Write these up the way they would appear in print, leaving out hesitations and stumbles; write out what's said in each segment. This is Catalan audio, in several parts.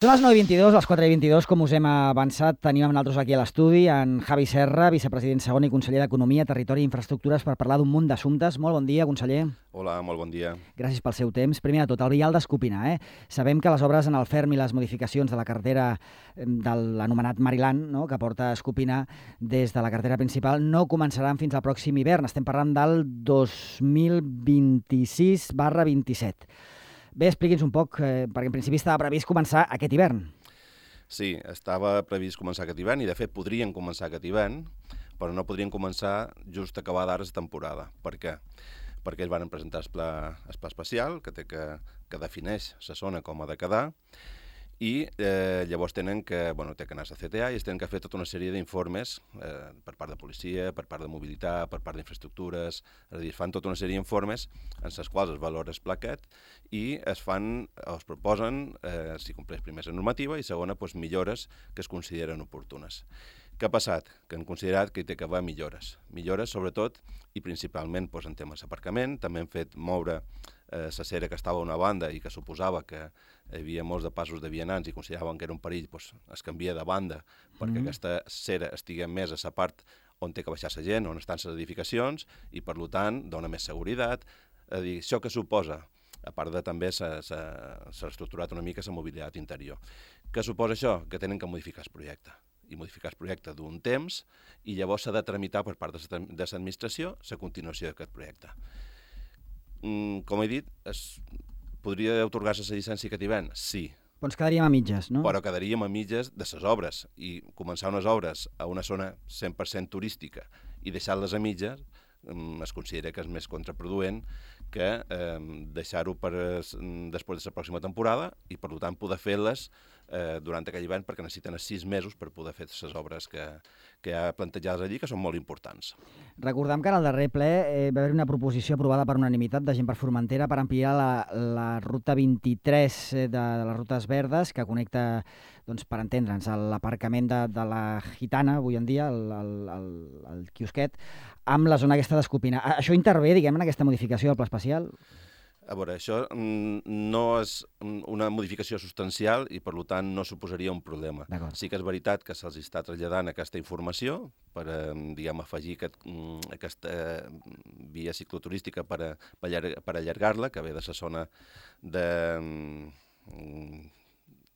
Són les 9:22, les 4:22, com us hem avançat. Tenim amb nosaltres aquí a l'estudi en Javi Serra, vicepresident segon i conseller d'Economia, Territori i Infraestructures, per parlar d'un munt d'assumptes. Molt bon dia, conseller. Hola, molt bon dia. Gràcies pel seu temps. Primer de tot, el vial d'Escopinar. Sabem que les obres en el ferm i les modificacions de la carretera de l'anomenat Maryland, no?, que porta a Escopinar des de la carretera principal, no començaran fins al pròxim hivern. Estem parlant del 2026/27. Bé, expliqui'ns un poc, perquè en principi estava previst començar aquest hivern. Sí, estava previst començar aquest hivern i, de fet, podrien començar aquest hivern, però no podrien començar just acabada ara la temporada. Per què? Perquè ells van presentar el pla especial, que defineix la zona com ha de quedar, i llavors tenen que anar a la CTA i es tenen que fer tota una sèrie d'informes per part de policia, per part de mobilitat, per part d'infraestructures, és a dir, es fan tota una sèrie d'informes en els quals es valora el pla aquest i es proposen, si compleix primer la normativa i segona, millores que es consideren oportunes. Què ha passat? Que han considerat que hi té que haver millores. Millores, sobretot, i principalment en temes d'aparcament. També han fet moure la cera que estava a una banda i que suposava que hi havia molts de passos de vianants i consideraven que era un perill, es canvia de banda perquè aquesta cera estigui més a la part on té que baixar la gent, on estan les edificacions, i per tant dona més seguretat. És a dir, això que suposa, a part de també s'ha reestructurat una mica la mobilitat interior. Què suposa això? Que tenen que modificar el projecte. I modificar el projecte d'un temps i llavors s'ha de tramitar per part de l'administració la continuació d'aquest projecte. Com he dit, podria atorgar-se la llicència aquest hivern? Sí. Però ens quedaríem a mitges, no? Però quedaríem a mitges de les obres, i començar unes obres a una zona 100% turística i deixar-les a mitges es considera que és més contraproduent que deixar-ho després de la pròxima temporada i, per tant, poder fer-les durant aquell hivern, perquè necessiten 6 mesos per poder fer les obres que hi ha plantejades allí, que són molt importants. Recordem que en el darrer ple va haver una proposició aprovada per unanimitat de Gent per Formentera per ampliar la ruta 23 de les rutes verdes, que connecta, per entendre'ns, l'aparcament de la Gitana, avui en dia, el quiosquet, amb la zona aquesta d'Escopinar. Això intervé, en aquesta modificació del pla especial? A veure, això no és una modificació substancial i, per tant, no suposaria un problema. Sí que és veritat que se'ls està traslladant aquesta informació per, afegir aquesta via cicloturística per allargar-la, que ve de la zona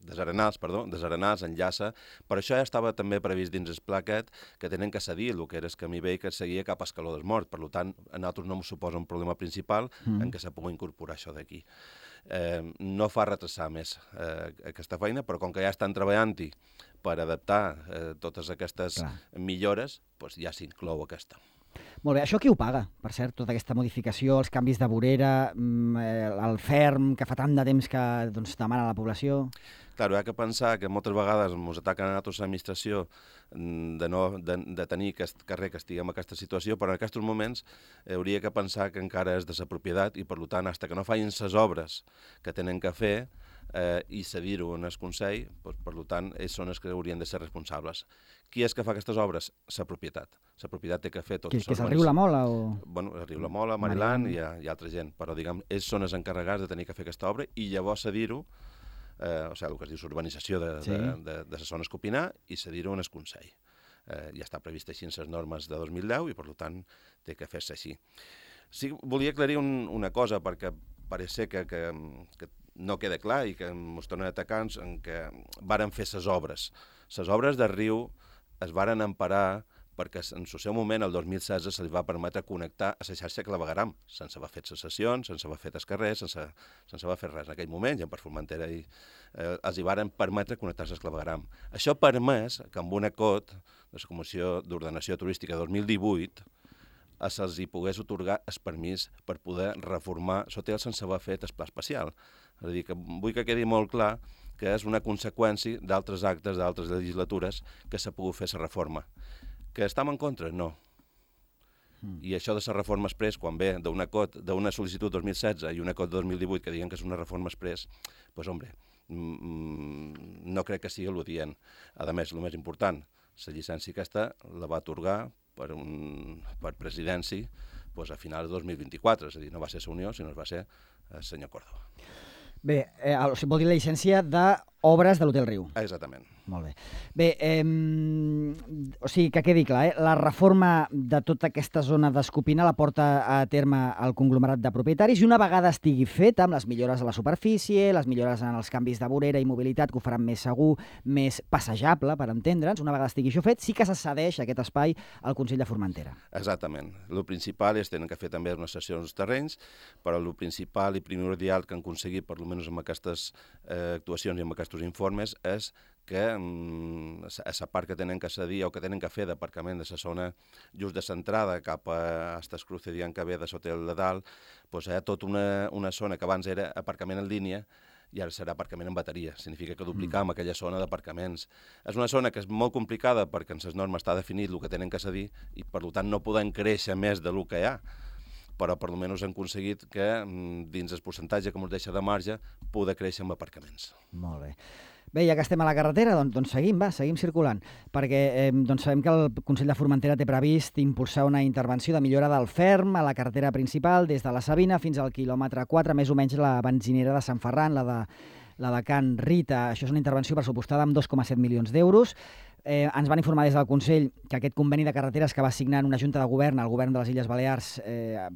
Desarenals, enllaça, però això ja estava també previst dins el pla aquest, que tenen que cedir el que era el camí vell que seguia cap a Escaló del Mort. Per tant, a nosaltres no ens suposa un problema principal en què s'ha pogut incorporar això d'aquí. No fa retrasar més aquesta feina, però com que ja estan treballant-hi per adaptar totes aquestes millores, ja s'inclou aquesta. Molt bé, això qui ho paga, per cert, tota aquesta modificació, els canvis de vorera, el ferm, que fa tant de temps que demana la població? Clar, hi ha que pensar que moltes vegades ens ataquen a nosaltres l'administració de tenir aquest carrer que estiguem en aquesta situació, però en aquests moments hauria que pensar que encara és de la propietat i, per tant, fins que no facin les obres que tenen que fer i cedir-ho en el Consell, per tant, ells són els que haurien de ser responsables. Qui és que fa aquestes obres? La propietat. La propietat té que fer tots els... Que és el riu La Mola? Bueno, el riu La Mola, Maryland i altra gent, però, ells són els encarregats de tenir que fer aquesta obra i llavors cedir-ho, el que es diu l'urbanització de la zona Escopinar, i cedir-ho en el Consell. Ja està previst així en les normes de 2010 i, per tant, té que fer-se així. Sí, volia aclarir una cosa, perquè pareix ser que no queda clar i que ens tornen a atacar en què varen fer les obres. Les obres del riu es varen emparar perquè en el seu moment, el 2016, se li va permetre connectar a la xarxa clavegueram, sense haver fet sessions, sense haver fet els carrers, sense haver fet res. En aquell moment, Gent per Formentera, els hi varen permetre connectar-se al clavegueram. Això ha permès que amb un acord de la Comissió d'Ordenació Turística 2018 se'ls hi pogués atorgar el permís per poder reformar l'hotel sense haver fet el pla especial. És a dir, que vull que quedi molt clar que és una conseqüència d'altres actes, d'altres legislatures, que s'ha pogut fer la reforma. Que estem en contra? No. I això de la reforma express, quan ve d'una sol·licitud 2016 i un acord de 2018 que diguen que és una reforma express, no crec que sigui l'odient. A més, el més important, la llicència aquesta la va atorgar per presidència a finals de 2024, és a dir, no va ser la Unió, sinó que va ser el senyor Córdoba. Bé, o sigui, vol dir la llicència d'obres de l'Hotel Riu. Exactament. Molt bé. Bé, o sigui, que quedi clar, la reforma de tota aquesta zona d'Escopina la porta a terme el conglomerat de propietaris i una vegada estigui feta, amb les millores a la superfície, les millores en els canvis de vorera i mobilitat que ho faran més segur, més passejable, per entendre'ns, una vegada estigui això fet, sí que se cedeix aquest espai al Consell de Formentera. Exactament. El principal és tenen que fer també unes sessions dels terrenys, però el principal i primordial que han aconseguit, per almenys amb aquestes actuacions i amb aquests informes, és que a la part que tenen que cedir o que tenen que fer d'aparcament de la zona just de centrada cap a Estes Cruces, dient que ve de l'hotel de dalt, doncs hi ha tota una zona que abans era aparcament en línia i ara serà aparcament en bateria. Significa que duplicam aquella zona d'aparcaments. És una zona que és molt complicada perquè en les normes està definit el que tenen que cedir i per tant no poden créixer més del que hi ha, però per almenys han aconseguit que dins el percentatge que ens deixa de marge poder créixer amb aparcaments. Molt bé. Bé, ja que estem a la carretera, doncs seguim circulant, perquè doncs sabem que el Consell de Formentera té previst impulsar una intervenció de millora del ferm a la carretera principal des de la Sabina fins al quilòmetre 4, més o menys la benzinera de Sant Ferran, la de Can Rita. Això és una intervenció pressupostada amb 2,7 milions d'euros. Ens van informar des del Consell que aquest conveni de carreteres que va signar en una junta de govern, el govern de les Illes Balears,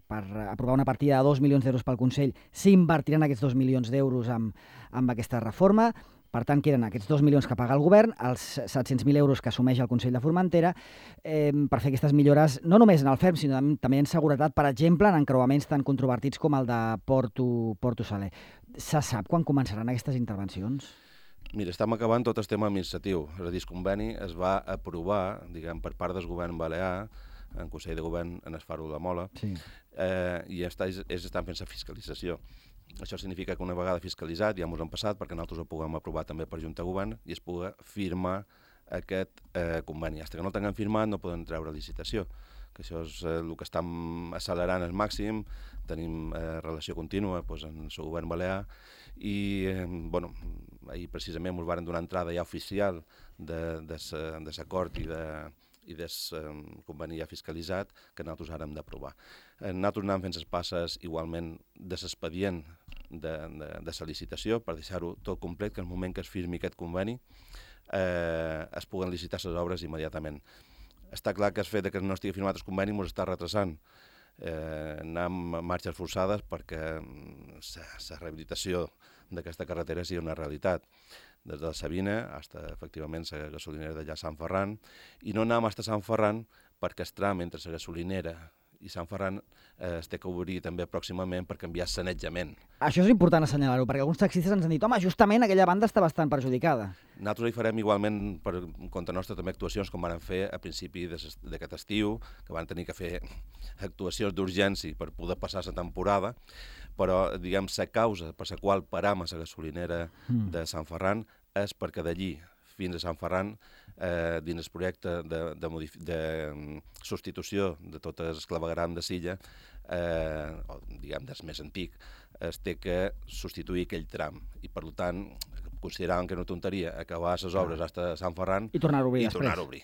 per aprovar una partida de 2 milions d'euros pel Consell, s'invertiran aquests 2 milions d'euros amb aquesta reforma. Per tant, queden aquests 2 milions que paga el govern, els 700.000 euros que assumeix el Consell de Formentera, per fer aquestes millores, no només en el ferm, sinó també en seguretat, per exemple, en encreuaments tan controvertits com el de Porto Saler. Se sap quan començaran aquestes intervencions? Mira, estem acabant tot el tema administratiu. És a dir, el conveni es va aprovar, diguem, per part del govern balear, en Consell de Govern, en el Faro de la Mola, sí. I estan fent la fiscalització. Això significa que una vegada fiscalitzat, ja ens han passat, perquè nosaltres ho puguem aprovar també per Junta de Govern, i es pugui firmar aquest conveni. Fins que no el tinguem firmat no poden treure licitació, que això és el que estem accelerant al màxim. Tenim relació contínua amb el govern balear i ahir precisament ens van donar entrada ja oficial de l'acord i del conveni ja fiscalitzat que nosaltres ara hem d'aprovar. Nosaltres anem fent les passes igualment de l'expedient de la licitació per deixar-ho tot complet, que en el moment que es firmi aquest conveni es puguen licitar les obres immediatament. Està clar que el fet que no estigui firmat el conveni ens està retrasant. Anem a marxes forçades perquè la rehabilitació d'aquesta carretera sigui una realitat. Des de la Sabina fins a, efectivament, la gasolinera d'allà a Sant Ferran, i no anem fins a Sant Ferran perquè el tram entre la gasolinera i Sant Ferran es té que obrir també pròximament per canviar sanejament. Això és important assenyalar-ho, perquè alguns taxistes ens han dit home, justament aquella banda està bastant perjudicada. Nosaltres hi farem igualment per compte nostre també actuacions com van fer a principi d'aquest estiu, que van tenir que fer actuacions d'urgència per poder passar la temporada, però diguem la causa per la qual param a la gasolinera de Sant Ferran és perquè d'allí fins a Sant Ferran, dins el projecte de substitució de tot el clavegueram de Silla, o diguem del més antic, es té que substituir aquell tram. I per tant, consideràvem que era una tonteria acabar les obres fins a Sant Ferran i tornar a obrir després.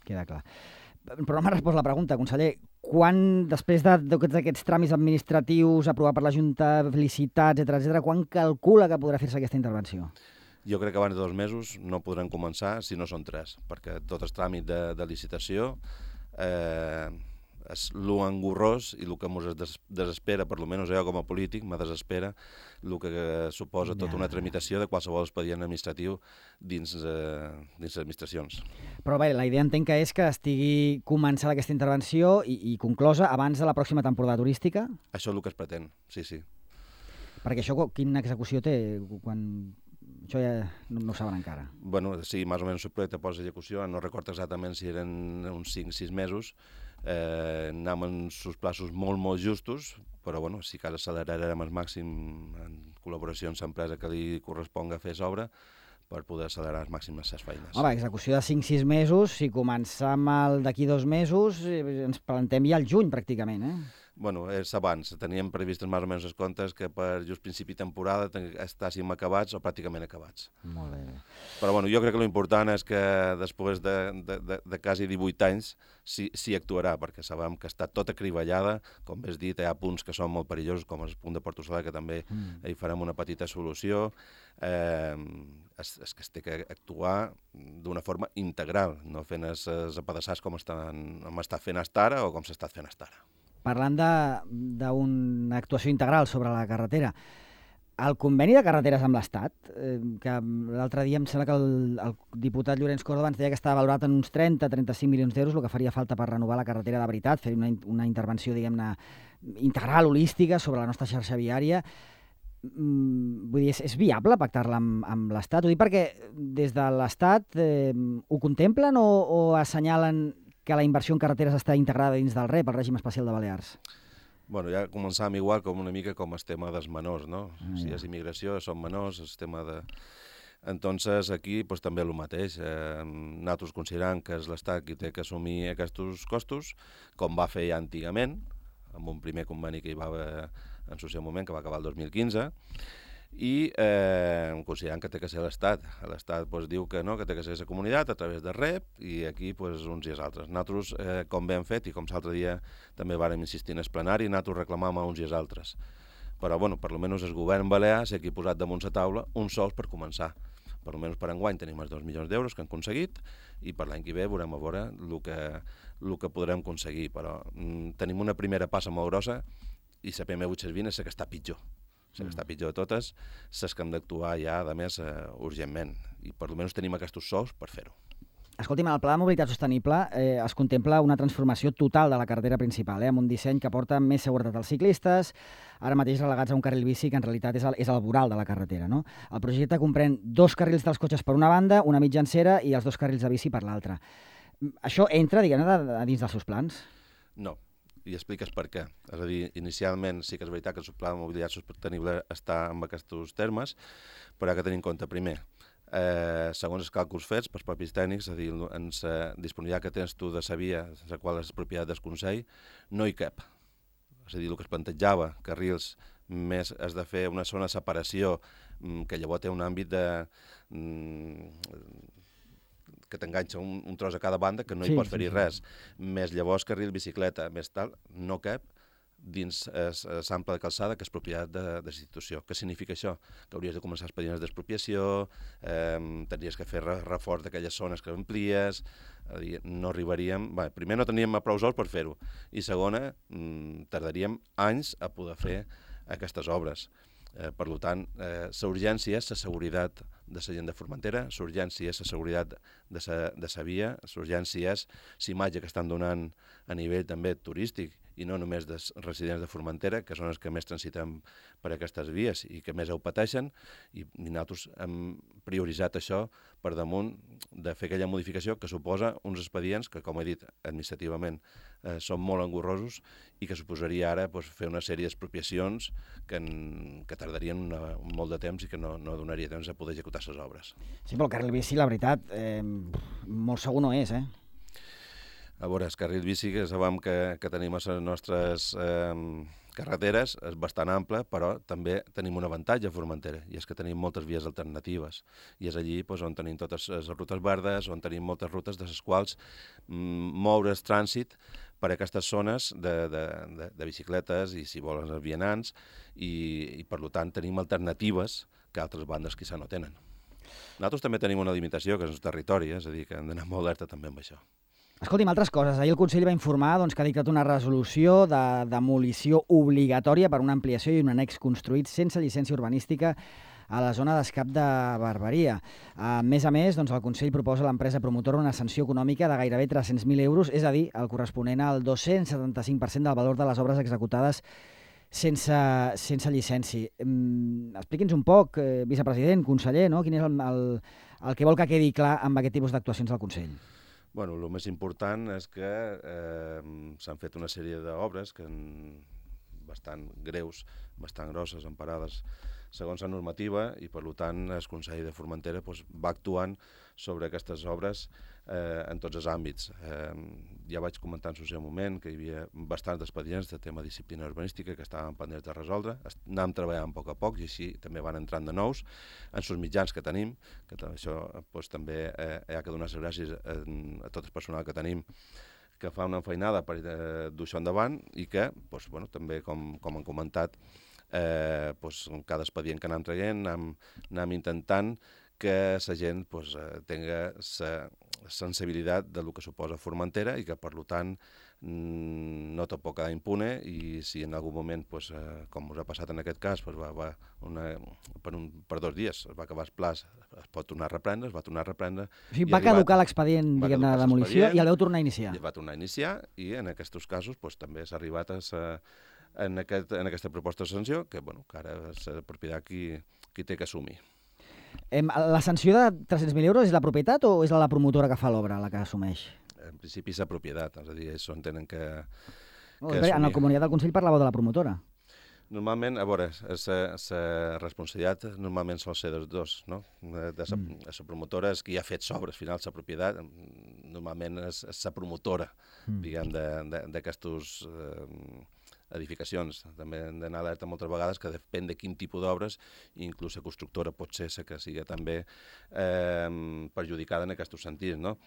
Queda clar. Però no m'ha respost la pregunta, conseller. Quan, després de tots aquests tràmits administratius, aprovar per la Junta, felicitats, etc., quan calcula que podrà fer-se aquesta intervenció? Jo crec que abans de 2 mesos no podran començar si no són 3, perquè tot el tràmit de licitació és l'engorrós i el que ens desespera, per almenys jo com a polític, me desespera el que suposa tota una tramitació de qualsevol expedient administratiu dins les administracions. Però bé, la idea entenc que és que estigui començada aquesta intervenció i conclosa abans de la pròxima temporada turística? Això és el que es pretén, sí. Perquè això quina execució té quan... Això ja no ho saben encara. Bueno, sí, més o menys el projecte posa execució, no recordo exactament si eren uns 5-6 mesos, anem en uns plaços molt justos, però bueno, sí que accelerarem al màxim en col·laboració amb l'empresa que li corresponga fer l'obra per poder accelerar al màxim les feines. Home, execució de 5-6 mesos, si començam d'aquí 2 mesos, ens plantem ja al juny pràcticament, Bueno, és abans. Teníem previstes més o menys els comptes que per just principi de temporada estàssim acabats o pràcticament acabats. Molt bé. Però bueno, jo crec que l'important és que després de quasi 18 anys s'hi actuarà, perquè sabem que està tota cribellada, com bé has dit, hi ha punts que són molt perillosos, com el punt de Porto Saler, que també hi farem una petita solució. És que es té que actuar d'una forma integral, no fent els apedaçats com està fent hasta ara o com s'ha estat fent hasta ara. Parlant d'una actuació integral sobre la carretera, el conveni de carreteres amb l'Estat, que l'altre dia em sembla que el diputat Llorenç Córdoba ens deia que estava valorat en uns 30-35 milions d'euros, el que faria falta per renovar la carretera de veritat, fer una intervenció, diguem-ne, integral, holística, sobre la nostra xarxa viària. Vull dir, és viable pactar-la amb l'Estat? Ho dic perquè des de l'Estat ho contemplen o assenyalen que la inversió en carreteres està integrada dins del REP, el règim especial de Balears? Bueno, ja començàvem igual com una mica com el tema dels menors, no? Si és immigració, són menors, el tema de... Entonces, aquí pues, també el mateix. Nosaltres considerem que és l'Estat qui té que assumir aquests costos, com va fer ja antigament, amb un primer conveni que hi va haver en el seu moment, que va acabar el 2015, i considerant que té que ser l'Estat. L'Estat pues, diu que no, que té que ser la comunitat a través de REP, i aquí pues, uns i els altres. Nosaltres, com bé hem fet, i com l'altre dia també vàrem insistir en el plenari, nosaltres reclamàvem a uns i els altres. Però, bueno, per almenys el govern balear s'ha aquí posat damunt la taula uns sols per començar. Per almenys per enguany tenim els 2 milions d'euros que han aconseguit, i per l'any que ve veurem a veure el que podrem aconseguir. Però tenim una primera passa molt grossa, i la PM820 és la que està pitjor. La que està pitjor de totes, les que hem d'actuar ja, a més, urgentment. I per almenys tenim aquests sous per fer-ho. Escolti'm, en el Pla de Mobilitat Sostenible es contempla una transformació total de la carretera principal, amb un disseny que porta més seguretat als ciclistes, ara mateix relegats a un carril bici que en realitat és el voral de la carretera. No? El projecte comprèn 2 carrils dels cotxes per una banda, una mitjancera i els 2 carrils de bici per l'altra. Això entra, diguem-ne, dins dels seus plans? No, i expliques per què. És a dir, inicialment sí que és veritat que el Pla de Mobilitat Sostenible està en aquests termes, però ha que tenir en compte, primer, segons els càlculs fets pels propis tècnics, és a dir, en la disponibilitat que tens tu de la via, la qual és propietat del Consell, no hi cap. És a dir, el que es plantejava, carrils més has de fer una zona de separació, que llavors té un àmbit de... que t'enganxa un tros a cada banda, que no hi pots fer-hi res. Més llavors carril bicicleta, més tal, no cap dins l'ample de calçada, que és propietat de l'institució. Què significa això? Que hauries de començar expedients d'expropiació, tindries que fer reforç d'aquelles zones que amplies, no arribaríem... Bé, primer no teníem prou sols per fer-ho, i segona, tardaríem anys a poder fer aquestes obres. Per tant, la urgència és la seguretat de la gent de Formentera, la urgència és la seguretat de la via, la urgència és la imatge que estan donant a nivell també turístic, i no només dels residents de Formentera, que són els que més transitem per aquestes vies i que més ho pateixen, i nosaltres hem prioritzat això per damunt de fer aquella modificació que suposa uns expedients que, com he dit, administrativament són molt engorrosos i que suposaria ara fer una sèrie d'expropiacions que tardarien molt de temps i que no donaria temps a poder executar les obres. Sí, però el carril bici, la veritat, molt segur no és, A veure, el carril bici que sabem que tenim a les nostres carreteres és bastant ample, però també tenim un avantatge a Formentera, i és que tenim moltes vies alternatives. I és allí on tenim totes les rutes verdes, on tenim moltes rutes de les quals moure's trànsit per aquestes zones de bicicletes i, si volen, els vianants, i per tant tenim alternatives que altres bandes quizà no tenen. Nosaltres també tenim una limitació, que és el territori, és a dir, que hem d'anar molt alerta també amb això. Escolti'm, altres coses. Ahir el Consell va informar que ha dictat una resolució de demolició obligatòria per una ampliació i un annex construït sense llicència urbanística a la zona d'escap de Barberia. A més, el Consell proposa a l'empresa promotora una sanció econòmica de gairebé 300.000 euros, és a dir, el corresponent al 275% del valor de les obres executades sense llicència. Expliqui'ns un poc, vicepresident, conseller, no? Quin és el que vol que quedi clar amb aquest tipus d'actuacions del Consell? Bueno, el més important és que s'han fet una sèrie d'obres que bastant greus, bastant grosses, emparades segons la normativa i, per tant, el Consell de Formentera va actuant sobre aquestes obres en tots els àmbits. Ja vaig comentar en el seu moment que hi havia bastants expedients de tema de disciplina urbanística que estaven pendents de resoldre. Anàvem treballant a poc i així també van entrant de nous en els mitjans que tenim, que això també hi ha que donar les gràcies a tot el personal que tenim que fa una enfeinada per dur això endavant i que, també, com han comentat, cada expedient que anem traient, anem intentant que la gent tingui la sensibilitat del que suposa Formentera i que, per tant, no te pot quedar impune i si en algun moment, com us ha passat en aquest cas, per 2 dies es va acabar el pla, es pot tornar a reprendre, es va tornar a reprendre. O sigui, va caducar l'expedient de demolició i el vau tornar a iniciar. I va tornar a iniciar i en aquests casos també s'ha arribat en aquesta proposta de sanció que ara és la propietat qui té que assumir. La sanció de 300.000 euros és la propietat o és la promotora que fa l'obra la que assumeix? En principi és la propietat, és a dir, això entenen que en el comunicat del Consell parlàveu de la promotora. Normalment, a veure, la responsabilitat normalment sol ser dels dos, no? La promotora és qui ha fet l'obra, al final la propietat normalment és la promotora, diguem, d'aquestes edificacions. També hem d'anar alerta moltes vegades que depèn de quin tipus d'obres, inclús la constructora pot ser la que sigui també perjudicada en aquests sentits, no?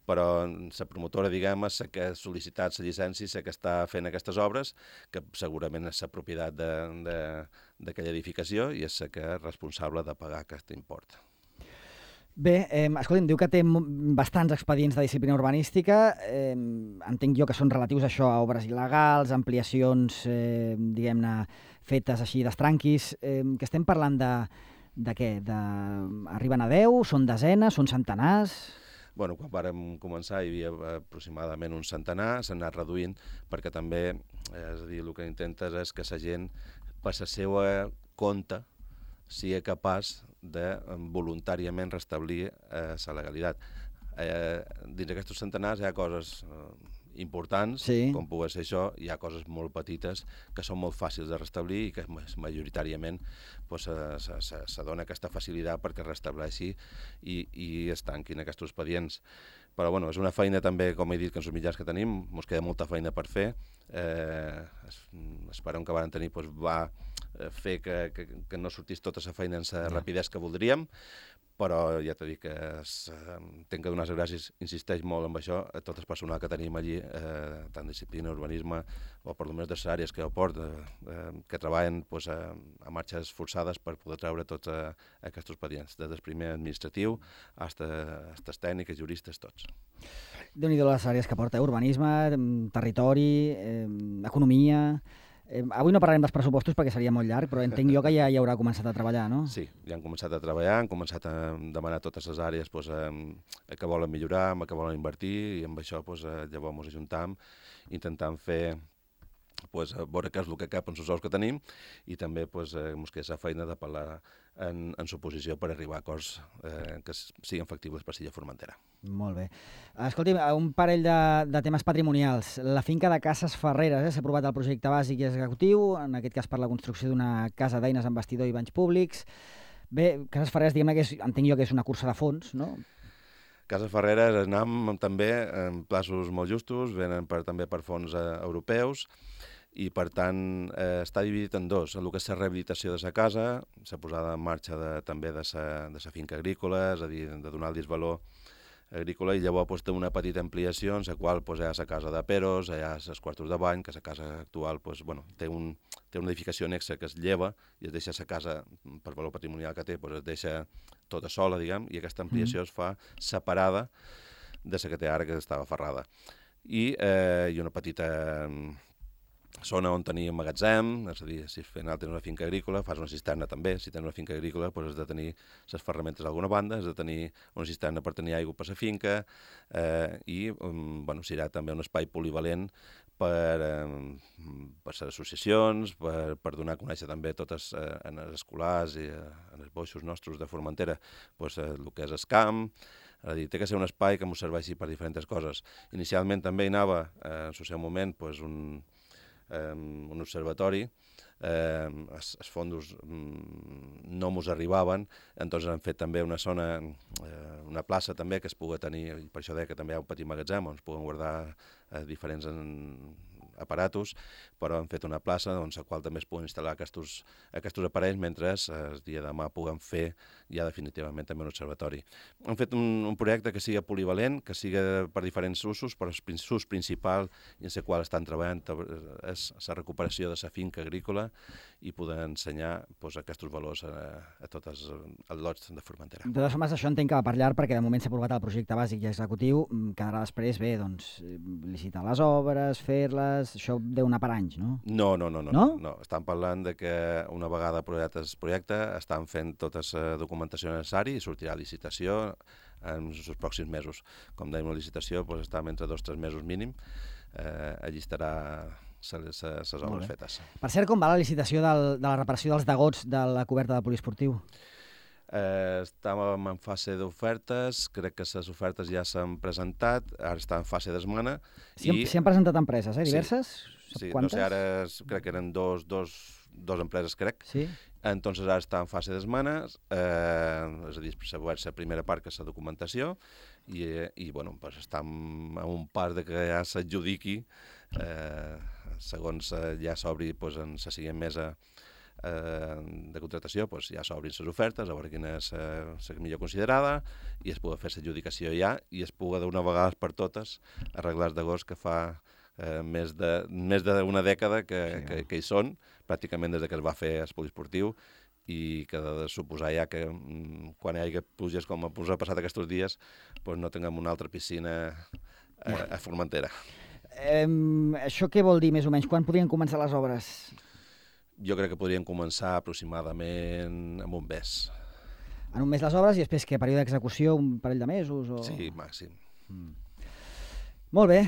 Però la promotora, diguem, és la que ha sol·licitat la llicència, la que està fent aquestes obres, que segurament és la propietat d'aquella edificació i és la que és responsable de pagar aquest import. Bé, escolta'm, diu que té bastants expedients de disciplina urbanística. Entenc jo que són relatius a això, a obres il·legals, ampliacions, diguem-ne, fetes així d'estranquis. Que estem parlant de què? Arriben a 10? Són desenes? Són centenars? Quan vàrem començar hi havia aproximadament un centenar, s'ha anat reduint perquè també, és a dir, el que intentes és que la gent, per la seva compte, sigui capaç de voluntàriament restablir la legalitat. Dins d'aquests centenars hi ha coses importants, com pugui ser això, hi ha coses molt petites que són molt fàcils de restablir i que majoritàriament se dona aquesta facilitat perquè es restableixi i es tanquin aquests expedients. Però és una feina també, com he dit, que en els mitjans que tenim, ens queda molta feina per fer. Esperem que vam tenir va fer que no sortís tota la feina en la rapidesa que voldríem, però ja t'he dit que tinc que donar les gràcies, insisteix molt en això, a tot el personal que tenim allí, tant disciplina, urbanisme, o per almenys de les àrees que jo porto, que treballen a marxes forçades per poder treure tots aquests expedients, des del primer administratiu fins als tècnics, juristes, tots. Déu-n'hi-do les àrees que porta, urbanisme, territori, economia... Avui no parlarem dels pressupostos perquè seria molt llarg, però entenc jo que ja hi haurà començat a treballar, no? Sí, ja han començat a treballar, han començat a demanar totes les àrees que volen millorar, que volen invertir, i amb això llavors ens ajuntam, intentant fer veure què és el que cap en els ous que tenim i també ens queda la feina de parlar en suposició per arribar a acords que siguin factibles per Silla Formentera. Molt bé. Escolti'm, un parell de temes patrimonials. La finca de Cases Ferreres, s'ha aprovat el projecte bàsic i executiu, en aquest cas per la construcció d'una casa d'eines amb vestidor i banys públics. Bé, Cases Ferreres, diguem-ne que entenc jo que és una cursa de fons, no? Cases Ferreres anem també en plaços molt justos, venen també per fons europeus, i per tant està dividit en dos, el que és la rehabilitació de la casa, la posada en marxa també de la finca agrícola, és a dir, de donar el disvalor agrícola, i llavors té una petita ampliació en la qual hi ha la casa de Peros, hi ha els quartos de bany, que la casa actual té una edificació anexa que es lleva i es deixa la casa, per valor patrimonial que té, es deixa tota sola, diguem, i aquesta ampliació es fa separada de la que té ara, que estava ferrada. I una petita zona on tenir magatzem, és a dir, si al final tens una finca agrícola, fas una cisterna també. Si tens una finca agrícola, has de tenir les ferramentes d'alguna banda, has de tenir una cisterna per tenir aigua per la finca i serà també un espai polivalent per les associacions, per donar a conèixer també totes en els escolars i en els boixos nostres de Formentera el que és el camp. És a dir, té que ser un espai que ens serveixi per diferents coses. Inicialment també hi anava, en el seu moment, un observatori els fondos no mos arribaven, entonces han fet també una zona, una plaça també que es pugui tenir, i per això deia que també hi ha un petit magatzem on es puguen guardar diferents aparatos, però han fet una plaça on la qual també es puguen instal·lar aquests aparells mentre el dia de demà puguem fer ja definitivament també un observatori. Han fet un projecte que sigui polivalent, que sigui per diferents usos, però l'ús principal en el qual estan treballant és la recuperació de la finca agrícola i poder ensenyar aquests valors a tots els lots de Formentera. De totes formes, això entenc que va per llarg, perquè de moment s'ha aprovat el projecte bàsic i executiu, quedarà després bé, doncs, licitar les obres, fer-les, això deu anar per anys, no? No. Estan parlant de que una vegada aprovat el projecte estan fent tota la documentació necessària i sortirà a licitació en els pròxims mesos. Com dèiem, la licitació està entre 2 o 3 mesos mínim, allí estarà les obres fetes. Per cert, com va la licitació de la reparació dels degots de la coberta del poliesportiu? Estàvem en fase d'ofertes, crec que les ofertes ja s'han presentat, ara està en fase d'esmena. S'hi han presentat empreses, diverses? Sí, no sé, ara crec que eren dos empreses, crec. Sí. Entonces ara està en fase d'esmena, és a dir, s'ha obert la primera part, que és la documentació, i bueno, estem en un pas de que ja s'adjudiqui, segons ja s'obri en la següent mesa de contratació, ja s'obrin les ofertes, a veure quina és la millor considerada, i es pugui fer l'adjudicació ja, i es pugui d'una vegada per totes arreglar els degots que fa més d'una dècada que hi són, pràcticament des que es va fer el poliesportiu, i que de suposar ja que quan hi hagi pluges com ens ha passat aquests dies, no tinguem una altra piscina a Formentera. Això què vol dir, més o menys? Quan podrien començar les obres? Jo crec que podrien començar aproximadament en un mes. En un mes les obres i després què? Període d'execució, un parell de mesos? Sí, màxim. Molt bé,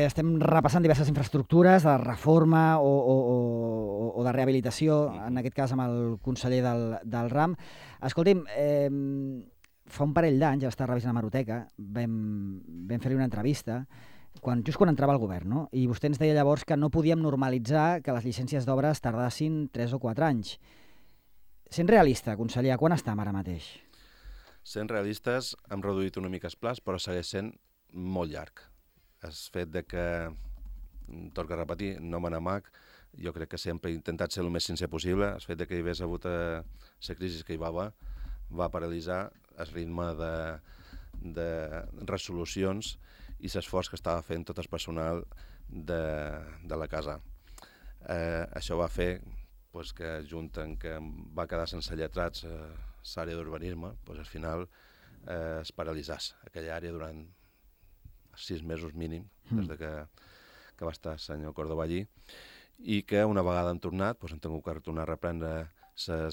estem repassant diverses infraestructures de reforma o de rehabilitació, en aquest cas amb el conseller del RAM. Escolti'm, fa un parell d'anys, ja està revisant la hemeroteca, vam fer-li una entrevista, just quan entrava al govern, no? I vostè ens deia llavors que no podíem normalitzar que les llicències d'obres tardassin 3 o 4 anys. Sent realista, conseller, a quan estem ara mateix? Sent realistes, hem reduït una mica els plans, però segueix sent molt llarg. El fet de que, torno a repetir, no me n'amac, jo crec que sempre he intentat ser el més sincer possible. El fet de que hi hagués hagut la crisi que hi va haver va paralitzar el ritme de resolucions i l'esforç que estava fent tot el personal de la casa. Això va fer que, junt amb que va quedar sense lletrats l'àrea d'urbanisme, al final es paralitzàs aquella àrea durant 6 mesos mínim, des que va estar el senyor Córdoba allí, i que una vegada hem tornat, hem tingut que tornar a reprendre el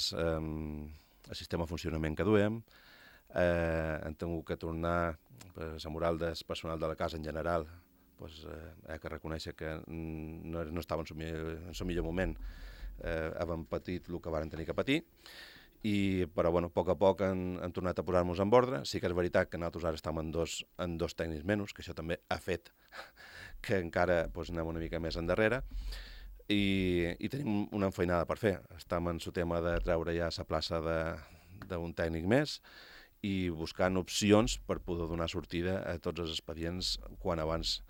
sistema de funcionament que duem, hem tingut que tornar la moral del personal de la casa en general, he de reconèixer que no estava en el millor moment, hem patit el que varen tenir que patir, però a poc hem tornat a posar-nos en ordre. Sí que és veritat que nosaltres ara estem en dos tècnics menys, que això també ha fet que encara anem una mica més endarrere, i tenim una enfeinada per fer. Estem en el tema de treure ja la plaça d'un tècnic més i buscant opcions per poder donar sortida a tots els expedients quan abans.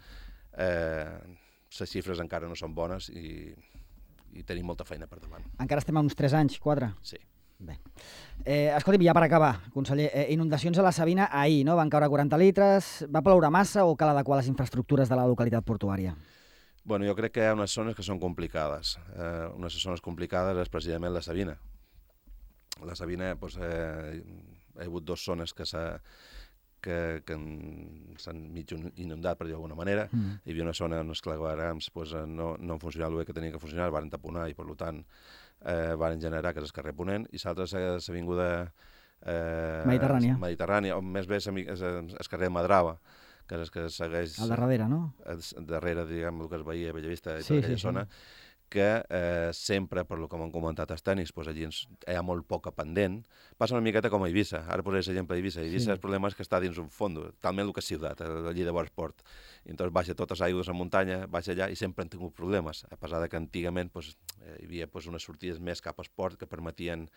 Les xifres encara no són bones i tenim molta feina per davant. Encara estem a uns 3 anys, 4? Sí. Bé. Escolti'm, ja per acabar, conseller, inundacions a la Sabina ahir, no? Van caure 40 litres, va ploure massa o cal adequar les infraestructures de la localitat portuària? Bueno, jo crec que hi ha unes zones que són complicades. Una de les zones complicades és precisament la Sabina. La Sabina, hi ha hagut 2 zones que s'han mig inundat, per dir d'alguna manera. Hi havia una zona on els clavegueram no han funcionat el bé que tenien que funcionar, van taponar i, per tant, van generar que és el carrer Ponent, i l'altra és l'avinguda Mediterrània, o més bé és el carrer Madrava, que és el que segueix... Al darrere, no? Darrere, diguem, el que es veia a Bellavista i tota aquella zona, que sempre, per lo que m'han comentat els tècnics, doncs allí hi ha molt poca pendent. Passa una miqueta com a Eivissa. Ara posaré l'exemple d'Eivissa. Eivissa, el problema és que està dins un fondo, talment el que és ciutat, allí de Borsport. I entonces baixa totes les aigües a muntanya, baixa allà i sempre han tingut problemes, a pesar que antigament hi havia unes sortides més cap a esport que permetien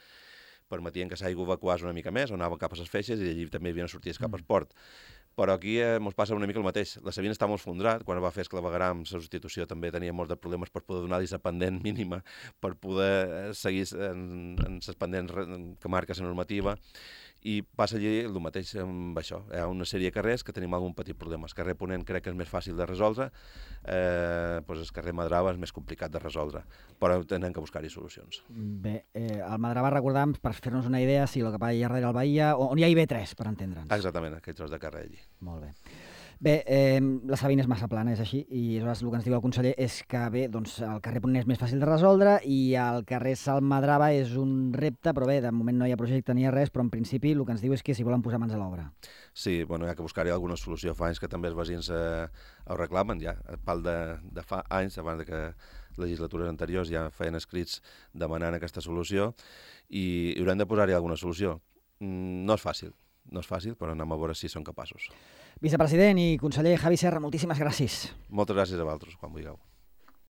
que l'aigua evacués una mica més, o anava cap a les feixes, i allí també hi havia sortides cap a esport. Però aquí ens passa una mica el mateix. La Sabina està molt esfondrat, quan va fer Esclavegaram, la substitució també tenia molts de problemes per poder donar-li la pendent mínima, per poder seguir en les pendents que marca la normativa, i passa allí el mateix amb això. Hi ha una sèrie de carrers que tenim algun petit problema. El carrer Ponent crec que és més fàcil de resoldre, el carrer Madrava és més complicat de resoldre, però tenen que buscar-hi solucions. Bé, el Madrava, recordam, per fer-nos una idea, si el que va allà darrere el Bahia, on hi ha IB3, per entendre'ns. Exactament, aquell tros de carrer allí. Molt bé. Bé, la Sabina és massa plana, és així, i aleshores el que ens diu el conseller és que bé, doncs el carrer Ponent és més fàcil de resoldre i el carrer Salmadrava és un repte, però bé, de moment no hi ha projecte ni res, però en principi el que ens diu és que s'hi volen posar mans a l'obra. Sí, bueno, hi ha que buscar-hi alguna solució. Fa anys que també els veïns ho reclamen, ja, a pal de fa anys, abans que legislatures anteriors ja feien escrits demanant aquesta solució, i haurem de posar-hi alguna solució. No és fàcil, però anem a veure si són capaços. Vicepresident i conseller Javi Serra, moltíssimes gràcies. Moltes gràcies a vosaltres, quan vulgueu.